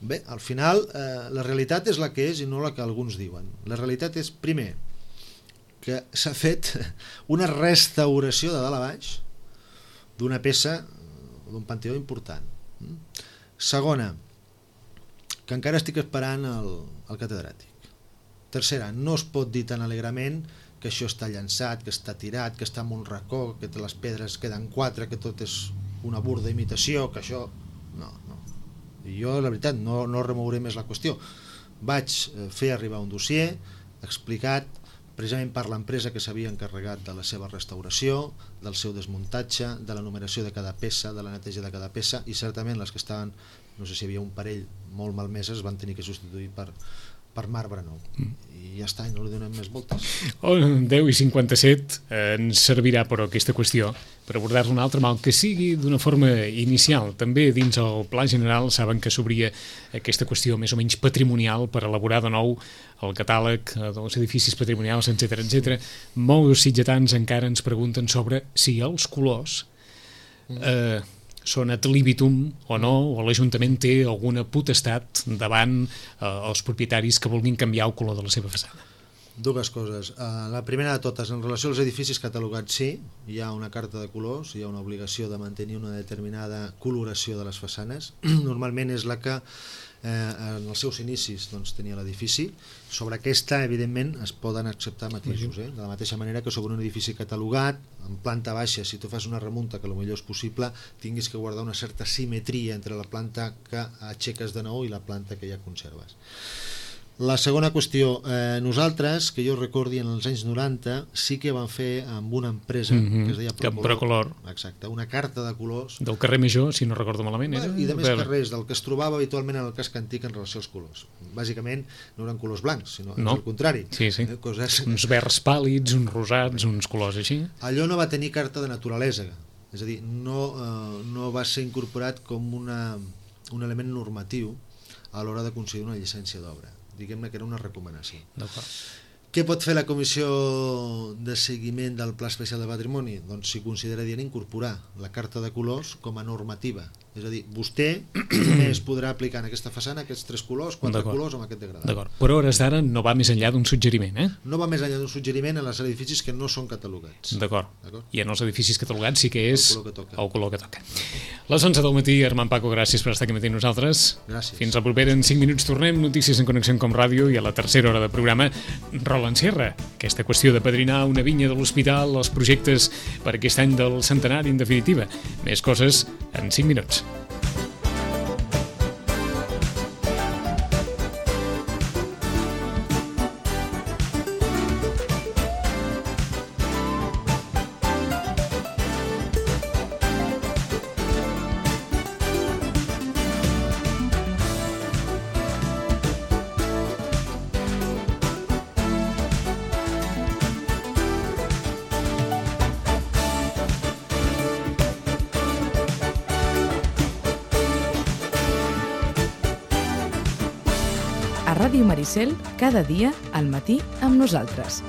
S3: Bé, al final la realitat és la que és i no la que alguns diuen. La realitat és, primer, que s'ha fet una restauració de dalt a baix d'una peça, d'un panteó important. Segona, que encara estic esperant el catedràtic. Tercera, no es pot dir tan alegrement que això està llançat, que està tirat, que està en un racó, que les pedres queden 4, que tot és una burda imitació, que això... No. I jo, la veritat, no remouré més la qüestió. Vaig fer arribar un dossier explicat precisament per l'empresa que s'havia encarregat de la seva restauració, del seu desmuntatge, de la numeració de cada peça, de la neteja de cada peça, i certament les que estaven, no sé si hi havia un parell molt malmeses, van tenir que substituir per marbre nou. I ja està, no li donem més voltes.
S2: 10:57 ens servirà, però, aquesta qüestió per abordar-la una altra, mal que sigui d'una forma inicial. També dins el Pla General saben que s'obria aquesta qüestió més o menys patrimonial per elaborar de nou el catàleg dels edificis patrimonials, etc. Molts sitgetans encara ens pregunten sobre si els colors són ad libitum o no, o l'Ajuntament té alguna potestat davant els propietaris que vulguin canviar el color de la seva façana.
S3: Dues coses. La primera de totes, en relació als edificis catalogats, sí, hi ha una carta de colors, hi ha una obligació de mantenir una determinada coloració de les façanes. Normalment és la que en els seus inicis tenia l'edifici. Sobre aquesta, evidentment, es poden acceptar matisos, de la mateixa manera que sobre un edifici catalogat, en planta baixa, si tu fas una remunta, que potser és possible, tinguis que guardar una certa simetria entre la planta que aixeques de nou i la planta que ja conserves. La segona qüestió, nosaltres, que jo recordi en els anys 90, sí que vam fer amb una empresa que es deia
S2: Procolor.
S3: Exacte, una carta de colors.
S2: Del carrer Major, si no recordo malament.
S3: I de més carrers, del que es trobava habitualment en el casc antic en relació als colors. Bàsicament no eren colors blancs, sinó al contrari.
S2: Sí. Uns verds pàl·lids, uns rosats, uns colors així.
S3: Allò no va tenir carta de naturalesa, és a dir, no va ser incorporat com un element normatiu a l'hora de concedir una llicència d'obra. Diguem-ne que era una recomanació. Què pot fer la Comissió de Seguiment del Pla Especial de Patrimoni? Doncs si considera adient incorporar la carta de colors com a normativa. És a dir, vostè només podrà aplicar en aquesta façana aquests 3 colors, 4 colors amb aquest degradat.
S2: D'acord, però a hores d'ara no va més enllà d'un suggeriment,
S3: No va més enllà d'un suggeriment en els edificis que no són catalogats.
S2: D'acord. I en els edificis catalogats sí que és
S3: el
S2: color que toca. Les 11 del matí, Armand Paco, gràcies per estar aquí matí amb nosaltres.
S3: Gràcies.
S2: Fins la propera, en 5 minuts tornem, notícies en Connexió Com Ràdio, i a la tercera hora de programa, Roland Sierra. Aquesta qüestió de padrinar una vinya de l'hospital, els projectes per aquest any del centenari, en definitiva. Més coses en 5 minuts.
S1: A Ràdio Maricel, cada dia al matí amb nosaltres.